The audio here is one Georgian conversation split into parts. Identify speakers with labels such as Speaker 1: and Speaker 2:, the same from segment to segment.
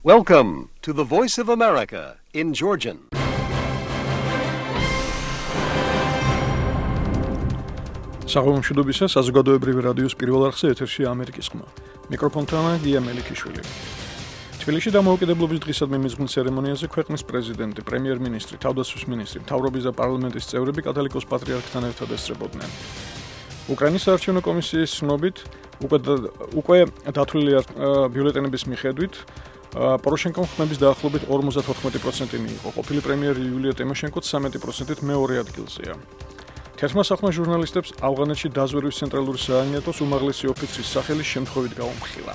Speaker 1: Welcome to the Voice of America in Georgian.
Speaker 2: Საღამომშვიდობისა საზოგადოებრივი რადიოს პირველ არხზე ეთერში ამერიკის ხმა. მიკროფონთანაა გია მელიქიშვილი. თბილისში დამოუკიდებლობის დღისადმი მიზღვნილ ცერემონიაზე ქვეყნის პრეზიდენტი, პრემიერ-მინისტრი, თავდაცვის მინისტრი, მთავრობის და პარლამენტის წევრები კათოლიკოს პატრიარქთან ერთად ესწრებოდნენ. უკრაინის საარჩევნო კომისიის ცნობით, უკვე დათვლილი ბიულეტენების მიხედვით პოროშენკომ ხმების დაახლოებით 54% მიიღო. ყოფილი პრემიერი იულია ტიმოშენკოც 13%-ით მეორე ადგილზეა. თერთმა სახმა ჟურნალისტებს ავღანეთში დაზვერვის ცენტრალური სააგენტოს უმაღლესი ოფიცრის სახელი შემთხვევით გაუმხილა.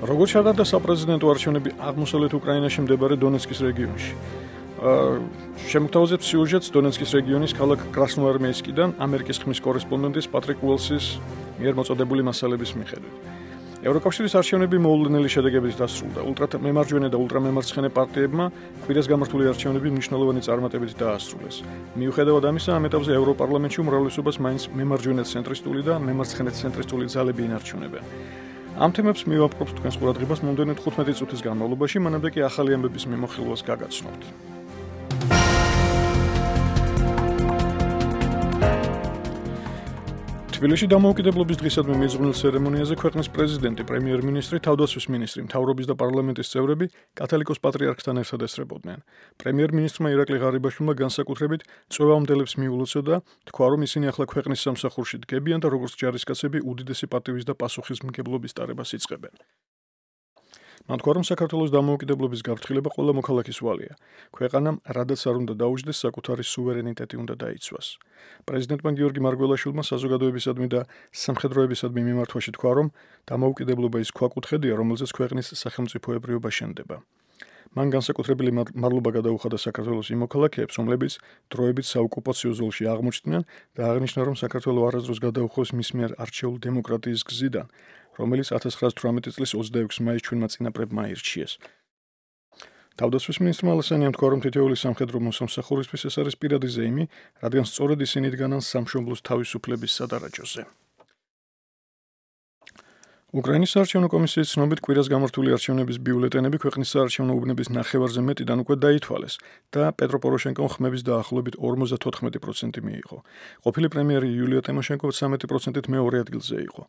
Speaker 2: როგორც ჩატარდა საპრეზიდენტო არჩევნები აღმოსავლეთ უკრაინაში მდებარე დონეცკის რეგიონში. შემოგთავაზებთ სიუჟეტს დონეცკის რეგიონის ქალაქ კრასნოარმეისკიდან ამერიკის ხმის კორესპონდენტის პატრიკ უელსის მიერ მოწოდებული მასალების მიხედვით. ევროკავშირის არჩევნები მოულოდნელი შედეგებით დასრულდა. ულტრამემარჯვენე და ულტრამემარცხენე პარტიებმა კვირას გამართული არჩევნები მნიშვნელოვანი წარმატებით დაასრულეს. მიუხედავად ამისა, ამ ეტაპზე ევროპარლამენტში უმრავლესობას მაინც მემარჯვენე ცენტრისტული და მემარცხენე ცენტრისტული ძალები ინარჩუნებენ. ამ თემებს მივაპყრობთ თქვენს ყურადღებას მომდევნო 15 წუთის განმავლობაში, მანამდე კი ახალი ამბების მიმოხილვას გაგაცნობთ. თბილისში დამოუკიდებლობის დღისადმი მიზღვნილ ცერემონიაზე ქვეყნის პრეზიდენტი, პრემიერ-მინისტრი, თავდაცვის მინისტრი, მთავრობის და პარლამენტის წევრები კათოლიკოს პატრიარქთან ერთად ესწრებოდნენ. პრემიერ-მინისტრმა ირაკლი ღარიბაშვილმა განსაკუთრებით წვევამდელებს მიულოცა და თქვა, რომ ისინი ახლა ქვეყნის სამსახურში დგებიან და როგორც ჯარისკაცები უდიდესი პატივის და პასუხისმგებლობის ტარებას იწყებენ. მან თქვა, რომ საქართველოს დამოუკიდებლობის გაფრთხილება ყველა მოქალაქის ვალია. ქვეყანამ რადაც არ უნდა დაუჯდეს, საკუთარი სუვერენიტეტი უნდა დაიცვას. პრეზიდენტმა გიორგი მარგველაშვილმა საზოგადოებისადმი და სამხედროებისადმი მიმართვაში თქვა, რომ დამოუკიდებლობა ის ქვაკუთხედია, რომელზეც ქვეყნის სახელმწიფოებრიობა შენდება. მან განსაკუთრებული მადლობა გადაუხადა საქართველოს იმ მოქალაქეებს, რომლებიც დროებით საოკუპაციო ზოლში აღმოჩნდნენ და აღნიშნა, რომ საქართველო არასდროს გადაუხვევს მის მიერ არჩეულ დემოკრატიის გზიდან, რომელიც 1918 წლის 26 მაისს ჩვენმა წინაპრებმა აირჩიეს. თავდაცვის მინისტრმა ალესანიამ თქვა, რომ თითოეული სამხედრო მოსამსახურისთვის ეს არის პირადი ზეიმი, რადგან სწორედ ისინი დგანან სამშობლოს თავისუფლების სადარაჯოზე. უკრაინის საარჩევნო კომისიის ცნობით, კვირას გამართული არჩევნების ბიულეტენები ქვეყნის საარჩევნო უბნების ნახევარზე მეტიდან უკვე დაითვალეს და პეტრო პოროშენკომ ხმების დაახლოებით 54% მიიღო. ყოფილი პრემიერი იულია ტიმოშენკო 13%-ით მეორე ადგილზე იყო.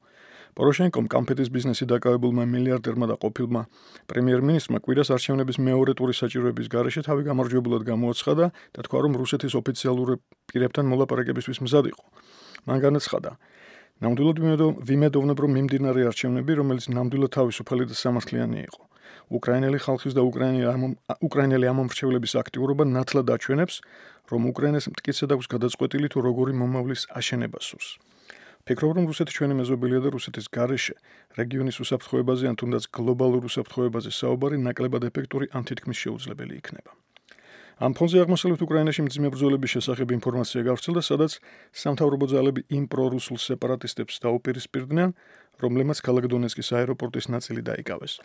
Speaker 2: პოროშენკომ კამფეტის ბიზნესი დაკავებულმა მილიარდერმა და ყოფილმა პრემიერ-მინისტრმა კვირას არჩევნების მეორე ტურის საჭიროების გარეშე თავი გამარჯვებულად გამოაცხადა და თქვა, რომ რუსეთის ოფიციალურ პირებთან მოლაპარაკებისთვის მზად იყო. მან განაცხადა, ნამდვილად ვიმედოვნებ, რომ მიმდინარე არჩევნები, რომელიც ნამდვილად თავისუფალი და სამართლიანი იყო. უკრაინელი ხალხის და უკრაინელი ამომრჩევლების აქტიურობა ნათლად აჩვენებს, რომ უკრაინას მტკიცედ აქვს გადაწყვეტილი თუ როგორი მომავლის აშენება სურს. ფიქრობ, რომ რუსეთი ჩვენი მეზობელია და რუსეთის გარეშე რეგიონის უსაფრთხოებაზე ან თუნდაც გლობალურ უსაფრთხოებაზე საუბარი ნაკლებად ეფექტური ან თითქმის შეუძლებელი იქნება. ამ ფონზე აღმოსავლეთ უკრაინაში მძიმე ბრძოლების შესახებ ინფორმაცია გავრცელდა, სადაც სამთავრობო ძალები იმ პრორუსულ სეპარატისტებს დაუპირისპირდნენ, რომლებმაც ქალაქ დონეცკის აეროპორტის ნაწილი დაიკავეს.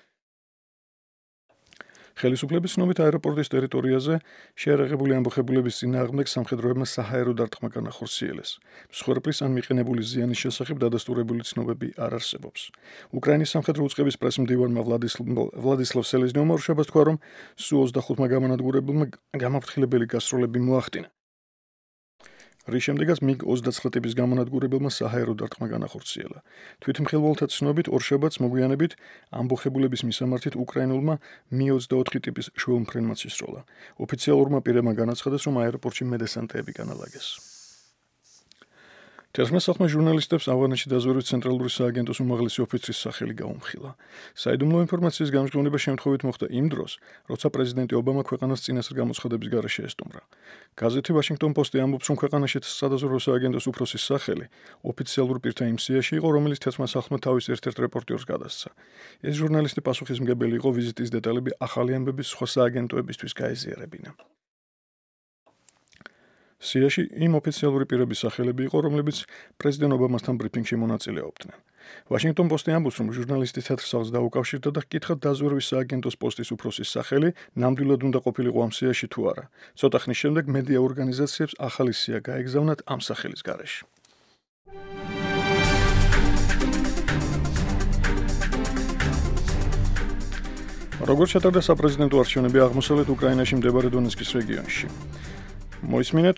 Speaker 2: ხელისუფლების ცნობით აეროპორტის ტერიტორიაზე შეერაღებული ამბოხებულების წინააღმდეგ სამხედროებმა საჰაერო დარტყმა განახორციელეს. მსხვერპლის ან მიყენებული ზიანის შესახებ დადასტურებული ცნობები არ არსებობს. უკრაინის სამხედრო უწყების პრესმდივანმა ვლადისლავ სელეზნიოვმა რუსებას თქვა, რომ სუ 25-მა გამანადგურებელმა გამაფრთხილებელი გასროლები მოახდინა. რის შემდეგაც MiG-29 ტიპის გამონადგურებელმა საჰაერო დარტყმა განახორციელა. თვითმხილველთა ცნობით ორშაბათს მოგვიანებით ამბოხებულების მისამართით უკრაინულმა Mi-24 ტიპის შუალმფრენმაც ისროლა. ოფიციალურმა პირებმა განაცხადეს, რომ აეროპორტში მედესანტეები განალაგეს. თერთმა სახმა ჟურნალისტებს ავღანეთში დაზვერვის ცენტრალური სააგენტოს უმაღლესი ოფიცრის სახელი გაუმხილა. საიდუმლო ინფორმაციის გამჟღავნება შემთხვევით მოხდა იმ დროს, როცა პრეზიდენტი ობამა ქვეყანას წინასწარ გამოცხადების გარეშე ესტუმრა. გაზეთი Washington Post-ი ამბობს, რომ ქვეყანაში სადაზვერვო სააგენტოს უფროსის სახელი ოფიციალურ პირთა იმ სიაში იყო, რომელიც თერთმა სახმა თავის ერთ-ერთ რეპორტიორს გადასცა. ეს ჟურნალისტი პასუხისმგებელი იყო ვიზიტის დეტალები ახალი ამბების სხვა სააგენტოებისთვის გაეზიარებინა. სიაში იმ ოფიციალური პირების სახელები იყო, რომლებიც პრეზიდენტ ობამასთან ბრიფინგში მონაწილეობდნენ. Washington Post-ი ამბობს, რომ ჟურნალისტი თეთრ სახლს დაუკავშირდა და ჰკითხა დაზვერვის სააგენტოს პოსტის უფროსის სახელი ნამდვილად უნდა ყოფილიყო ამ სიაში თუ არა. ცოტა ხნის შემდეგ მედია ორგანიზაციებს ახალი სია გაეგზავნათ ამ სახელის გარეშე. როგორც ჩატარდა საპრეზიდენტო არჩევნები აღმოსავლეთ უკრაინაში მდებარე დონეცკის რეგიონში. მოისმინეთ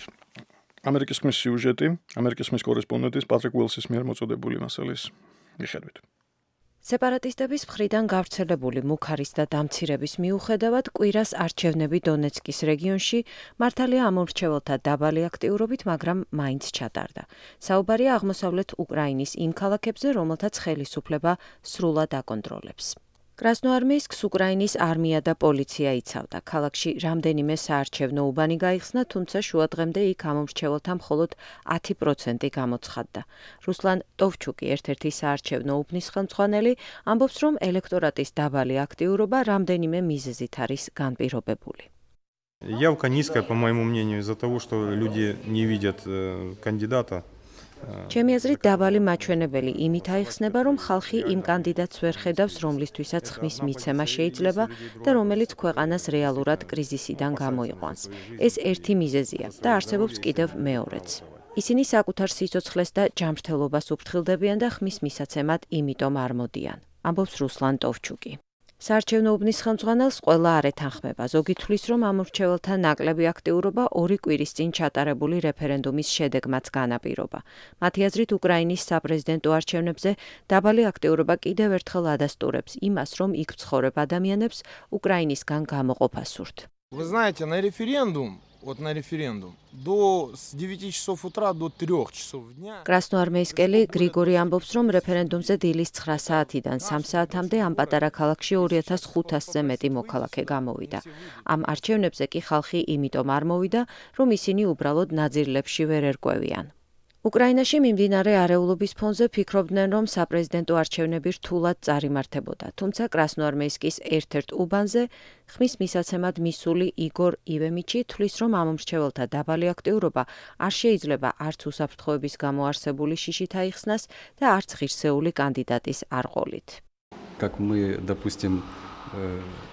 Speaker 2: ამერიკის ხმის სიუჟეტი, ამერიკის ხმის კორესპონდენტის პატრიკ უილსის მიერ მოწოდებული მასალის მიხედვით.
Speaker 3: სეპარატისტების მხრიდან გავრცელებული მუქარის და დამცირების მიუხედავად კვირას არჩევნები დონეცკის რეგიონში მართალია ამორჩეველთა დაბალი აქტიურობით, მაგრამ მაინც ჩატარდა. საუბარია აღმოსავლეთ უკრაინის იმ ქალაქებზე, რომელთაც ხელისუფლება სრულად აკონტროლებს. კრასნოარმეისკს უკრაინის არმია და პოლიცია იცავდა. ქალაქში რამდენიმე საარჩევნო უბანი გაიხსნა, თუმცა შუადღემდე იქ ამომრჩეველთა მხოლოდ 10% გამოცხადდა. რუსლან ტოვჩუკი, ერთ-ერთი საარჩევნო უბნის ხელმძღვანელი, ამბობს, რომ ელექტორატის დაბალი აქტიურობა რამდენიმე მიზეზით არის განპირობებული.
Speaker 4: Явка низкая, по моему мнению, из-за того, что люди не видят кандидата.
Speaker 3: ჩემი აზრით დაბალი მაჩვენებელი იმით აიხსნება, რომ ხალხი იმ კანდიდატს ვერ ხედავს, რომლისთვისაც ხმის მიცემა შეიძლება და რომელიც ქვეყანას რეალურად კრიზისიდან გამოიყვანს. ეს ერთი მიზეზია და არსებობს კიდევ მეორეც. ისინი საკუთარ სიცოცხლეს და ჯანმრთელობას უფრთხილდებიან და ხმის მისაცემად იმიტომ არ მოდიან, ამბობს რუსლან ტოვჩუკი. საარჩევნო უბნის ხელმძღვანელს ყველა არ ეთანხმება. ზოგი თვლის, რომ ამორჩეველთა ნაკლები აქტიურობა 2 კვირის წინ ჩატარებული რეფერენდუმის შედეგმაც განაპირობა. მათი აზრით, უკრაინის საპრეზიდენტო არჩევნებზე დაბალი აქტიურობა კიდევ ერთხელ ადასტურებს იმას, რომ იქ მცხოვრებ ადამიანებს უკრაინისგან გამოყოფა სურთ.
Speaker 5: Вы знаете, на референдум с 9 часов утра до 3 часов дня.
Speaker 3: კრასნოარმეისკელი გრიგორი ამბობს, რომ რეფერენდუმზე დილის 9 საათიდან 3 საათამდე ამ პატარა ქალაქში 2500-ზე მეტი მოქალაქე გამოვიდა. ამ არჩევნებზე კი ხალხი იმიტომ არ მოვიდა, რომ ისინი უბრალოდ ნაძირლებში ვერ ერკვევიან. უკრაინაში მიმდინარე არეულობის ფონზე ფიქრობდნენ, რომ საპრეზიდენტო არჩევნები რთულად წარიმართებოდა, თუმცა კრასნოარმეისკის ერთ-ერთ უბანზე ხმის მისაცემად მისული იგორ ივემიჩი თვლის, რომ ამომრჩეველთა დაბალი აქტიურობა არ შეიძლება არც უსაფრთხოების გამო არსებული შიშით აიხსნას და არც ღირსეული კანდიდატის არყოლით.
Speaker 6: Как мы, допустим,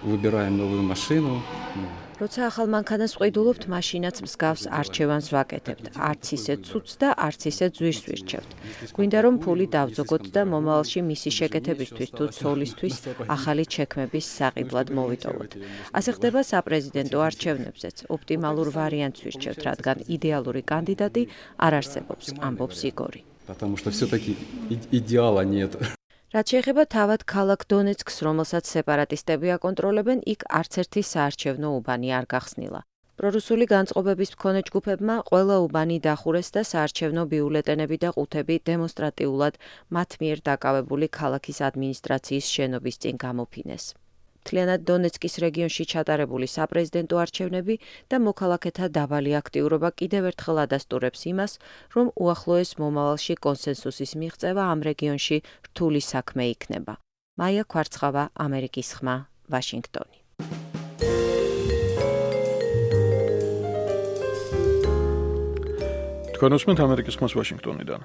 Speaker 6: выбираем новую машину.
Speaker 3: როცა ახალ მანქანას ვყიდულობთ, მაშინაც მსგავს არჩევანს ვაკეთებთ. არც ისე ცუდს და არც ისე ძვირს ვირჩევთ. გვინდა რომ ფული დავძოგოთ და მომავალში მისი შეკეთებისთვის თუ ცოლისთვის ახალი ჩექმების საყიდლად მოვიტოვოთ. ასე ხდება საპრეზიდენტო არჩევნებზეც. ოპტიმალურ ვარიანტს ვირჩევთ, რადგან იდეალური კანდიდატი არ არსებობს, ამბობს იგორი.
Speaker 6: Потому что все-таки идеала нет.
Speaker 3: რაც შეეხება თავად ქალაქ დონეცკს, რომელსაც სეპარატისტები აკონტროლებენ, იქ არც ერთი საარჩევნო უბანი არ გახსნილა. პრორუსული განწყობების მქონე ჯგუფებმა ყველა უბანი დახურეს და საარჩევნო ბიულეტენები და ყუთები დემონსტრატიულად მათ მიერ დაკავებული ქალაქის ადმინისტრაციის შენობის წინ გამოფინეს. მთლიანად დონეცკის რეგიონში ჩატარებული საპრეზიდენტო არჩევნები და მოქალაქეთა დაბალი აქტიურობა კიდევ ერთხელ ადასტურებს იმას, რომ უახლოეს მომავალში კონსენსუსის მიღწევა ამ რეგიონში რთული საქმე იქნება. მაია ქვარცხავა, ამერიკის ხმა, ვაშინგტონი.
Speaker 2: თქვენ უსმენთ ამერიკის ხმას ვაშინგტონიდან.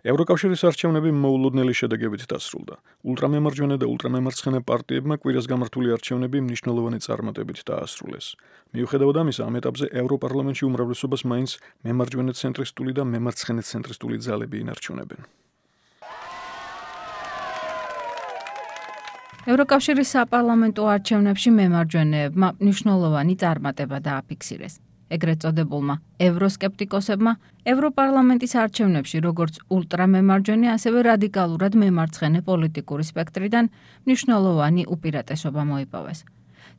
Speaker 2: ევროკავშირის არჩევნები მოულოდნელი შედეგებით დასრულდა. ულტრამემარჯვენე და ულტრამემარცხენე პარტიებმა კვირას გამართული არჩევნები მნიშვნელოვანი წარმატებით დაასრულეს. მიუხედავად ამისა, ამ ეტაპზე ევროპარლამენტში უმრავლესობას მაინც მემარჯვენე ცენტრისტული და მემარცხენე ცენტრისტული ძალები ინარჩუნებენ.
Speaker 7: ევროკავშირის საპარლამენტო არჩევნებში მემარჯვენეებმა მნიშვნელოვანი წარმატება დააფიქსირეს. ეგრეთ წოდებულმა ევროსკეპტიკოსებმა ევროპარლამენტის არჩევნებში როგორც ულტრამემარჯვენე, ასევე რადიკალურად მემარცხენე პოლიტიკური სპექტრიდან მნიშვნელოვანი უპირატესობა მოიპოვეს.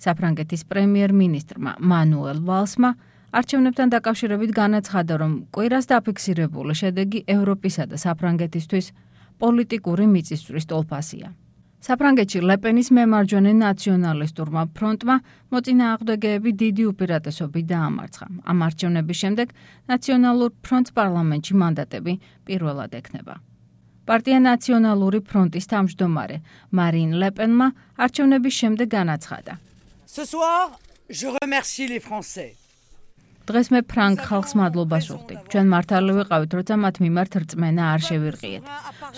Speaker 7: საფრანგეთის პრემიერ-მინისტრმა მანუელ ვალსმა არჩევნებთან დაკავშირებით განაცხადა, რომ კვირას დაფიქსირებული შედეგი ევროპისა და საფრანგეთისთვის პოლიტიკური მიწისძვრის ტოლფასია. საფრანგეთში ლეპენის მემარჯვენე ნაციონალისტურმა ფრონტმა მოწინააღმდეგეები დიდი უპირატესობით დაამარცხა. ამ არჩევნების შემდეგ ნაციონალურ ფრონტს პარლამენტში მანდატები პირველად ექნება. პარტია ნაციონალური ფრონტის თავმჯდომარე მარინ ლეპენმა არჩევნების შემდეგ განაცხადა.
Speaker 8: Ce soir, je remercie les Français.
Speaker 7: დღეს მე ფრანგ ხალხს მადლობას ვუხდი. ჩვენ მართალი ვიყავით, როცა მათ მიმართ რწმენა არ შევირყიეთ.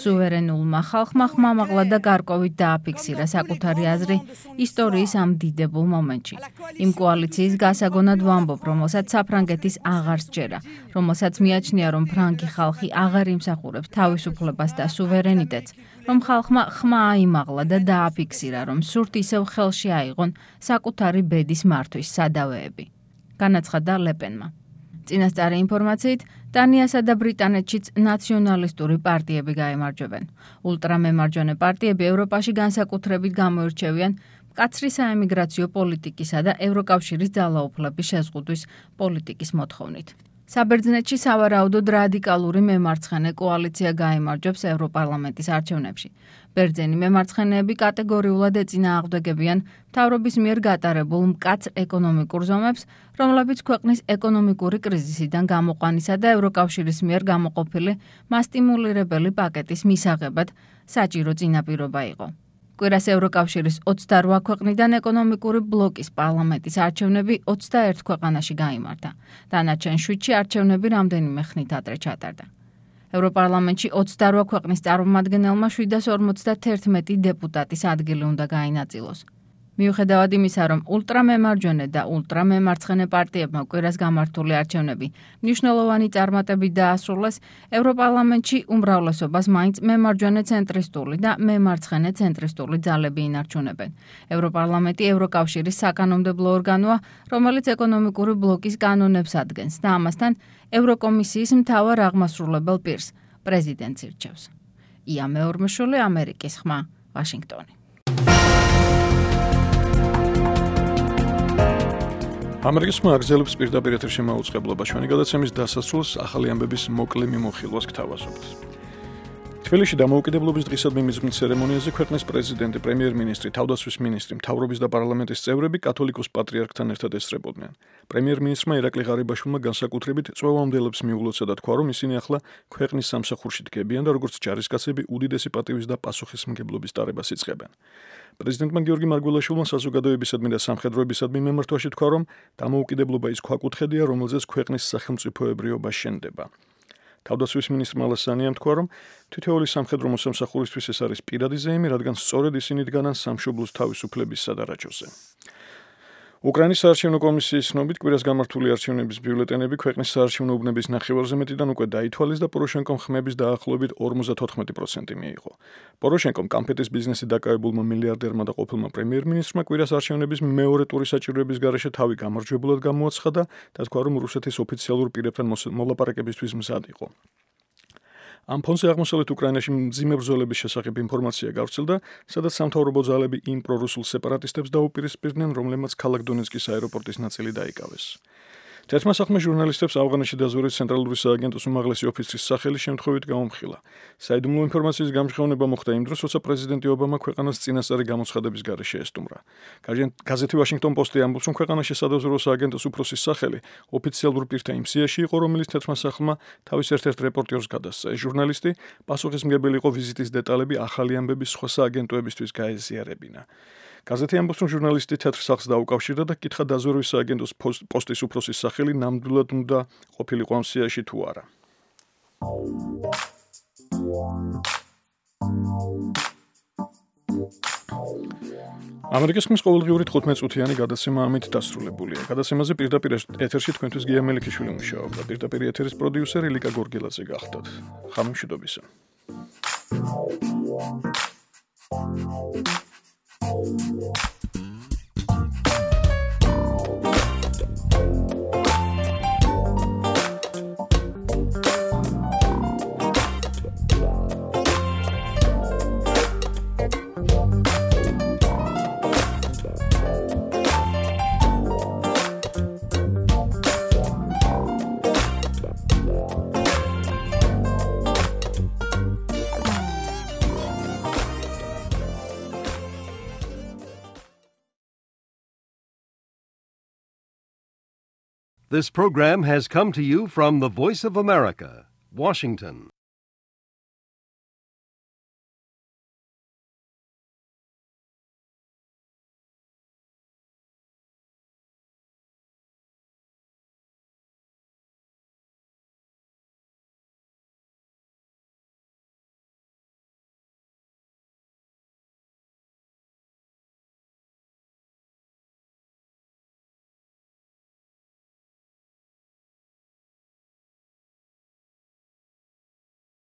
Speaker 7: სუვერენულმა ხალხმა ხმამაღლა და გარკვევით დააფიქსირა საკუთარი აზრი ისტორიის ამ დიდებულ მომენტში. იმ კოალიციის გასაგონად ვამბობ, რომელსაც საფრანგეთის აღარ სჯერა, რომელსაც მიაჩნია, რომ ფრანგი ხალხი აღარ იმსახურებს თავისუფლებას და სუვერენიტეტს, რომ ხალხმა ხმა აიმაღლა და დააფიქსირა, რომ სურთ ისევ ხელში აიღონ საკუთარი ბედის მართვის სადავეები. განაცხადა ლეპენმა. წინასწარი ინფორმაციით, დანიასა და ბრიტანეთშიც ნაციონალისტური პარტიები გაემარჯვებენ. ულტრამემარჯვენე პარტიები ევროპაში განსაკუთრებით გამოირჩევიან მკაცრი საემიგრაციო პოლიტიკისა და ევროკავშირის ძალაუფლების შეზღუდვის პოლიტიკის მოთხოვნით. საბერძნეთში სავარაუდოდ რადიკალური მემარცხენე კოალიცია გაიმარჯვებს ევროპარლამენტის არჩევნებში. ბერძენი მემარცხენეები კატეგორიულად ეწინააღმდეგებიან მთავრობის მიერ გატარებულ მკაცრ ეკონომიკურ ზომებს, რომლებიც ქვეყნის ეკონომიკური კრიზისიდან გამოყვანისა და ევროკავშირის მიერ გამოყოფილი მასტიმულირებელი პაკეტის მისაღებად საჭირო წინაპირობა იყო. კვირას ევროკავშირის 28 ქვეყნიდან ეკონომიკური ბლოკის პარლამენტის არჩევნები 21 ქვეყანაში გაიმართა. დანარჩენ 7-ში არჩევნები რამდენიმე ხნით ადრე ჩატარდა. ევროპარლამენტში 28 ქვეყნის წარმომადგენელმა 751 დეპუტატის ადგილი უნდა გაინაწილოს. მიუხედავად იმისა, რომ ულტრამემარჯვენე და ულტრამემარცხენე პარტიებმა კვირას გამართული არჩევნები მნიშვნელოვანი წარმატებით დაასრულეს, ევროპარლამენტში უმრავლესობას მაინც მემარჯვენე ცენტრისტული და მემარცხენე ცენტრისტული ძალები ინარჩუნებენ. ევროპარლამენტი ევროკავშირის საკანონმდებლო ორგანოა, რომელიც ეკონომიკური ბლოკის კანონებს ადგენს და ამასთან ევროკომისიის მთავარ აღმასრულებელ პირს, პრეზიდენტს ირჩევს. ია მეორმოშვილი, ამერიკის ხმა, ვაშინგტონი.
Speaker 2: ამერიკის ხმა აგრძელებს პირდაპირ ეთერში მაუწყებლობა. ჩვენი გადაცემის დასასრულს ახალი ამბების მოკლე მიმოხილვას გთავაზობთ. თბილისში დამოუკიდებლობის დღისადმი მისმით ცერემონიაზე ქვეყნის პრეზიდენტი, პრემიერ-მინისტრი, თავდაცვის მინისტრი, მთავრობის და პარლამენტის წევრები კათოლიკოს პატრიარქთან ერთად ესწრებოდნენ. პრემიერ-მინისტრმა ირაკლი ღარიბაშვილმა განსაკუთრებით წვევამდელებს მიულოცა და თქვა, რომ ისინი ახლა ქვეყნის სამსახურში დგებიან და როგორც ჯარისკაცები უდიდესი პატივის და პასუხისმგებლობის დარებას იწყებენ. პრეზიდენტმა გიორგი მარგველაშვილმა საზოგადოებისადმი და სამხედროებისადმი მემართვაში თქვა, რომ დამოუკიდებლობა ის ქვაკუთხედია, რომელზეც ქვეყნის სახელმწიფოებრიობა შენდება. თავდაცვის მინისტრმა ალასანიამ თქვა, რომ თითოეული სამხედრო მოსამსახურისთვის ეს არის პირადი ზეიმი, რადგან სწორედ ისინი დგანან სამშობლოს თავისუფლების სადარაჯოზე. უკრაინის საარჩევნო კომისიის ცნობით, კვირას გამართული არჩევნების ბიულეტენები ქვეყნის საარჩევნო უბნების ნახევარზე მეტიდან უკვე დაითვალეს და პოროშენკომ ხმების დაახლოებით 54% მიიღო. პოროშენკომ კამფეტის ბიზნესით დაკავებულმა მილიარდერმა და ყოფილმა პრემიერ-მინისტრმა კვირას არჩევნების მეორე ტურის საჭიროების გარეშე თავი გამარჯვებულად გამოაცხადა და თქვა, რომ რუსეთის ოფიციალურ პირებთან მოლაპარაკებისთვის მზად იყო. ამ ფონზე აღმოსავლეთ უკრაინაში მძიმე ბრძოლების შესახებ ინფორმაცია გავრცელდა, სადაც სამთავრობო ძალები იმ პრორუსულ სეპარატისტებს დაუპირისპირდნენ, რომლებმაც ქალაქ დონეცკის აეროპორტის ნაწილი დაიკავეს. თერთმა სახმა ჟურნალისტებს ავღანეთში დაზვერვის ცენტრალური სააგენტოს უმაღლესი ოფიცრის სახელი შემთხვევით გაუმხილა. საიდუმლო ინფორმაციის გამჟღავნება მოხდა იმ დროს, როცა პრეზიდენტი ობამა ქვეყანას წინასწარი გამოცხადების გარეშე ესტუმრა. გაზეთი ვაშინგტონ პოსტი ამბობს, რომ ქვეყანაში სადაზვერვო სააგენტოს უფროსის სახელი ოფიციალურ პირთა იმ სიაში იყო, რომელიც თერთმა სახმა თავის ერთ-ერთ რეპორტერს გადასცა. ეს ჟურნალისტი პასუხისმგებელი იყო ვიზიტის დეტალები ახალი ამბების სხვა სააგენტოებისთვის გაეზიარებინა. გაზეთი ამბობს, რომ ჟურნალისტი თეთრ სახლს დაუკავშირდა და კითხა დაზვერვის სააგენტოს პოსტის უფროსის სახელი ნამდვილად უნდა ყოფილიყო ამ სიაში თუ არა. ამერიკის ხმის ყოველდღიური 15 წუთიანი გადაცემა ამით დასრულებულია. გადაცემაზე პირდაპირ ეთერში თქვენთვის გია მელიქიშვილი მუშაობდა. პირდაპირ ეთერის პროდიუსერი ლიკა გორგელაძე გახდათ. ხამემშვიდობისა.
Speaker 1: This program has come to you from the Voice of America, Washington.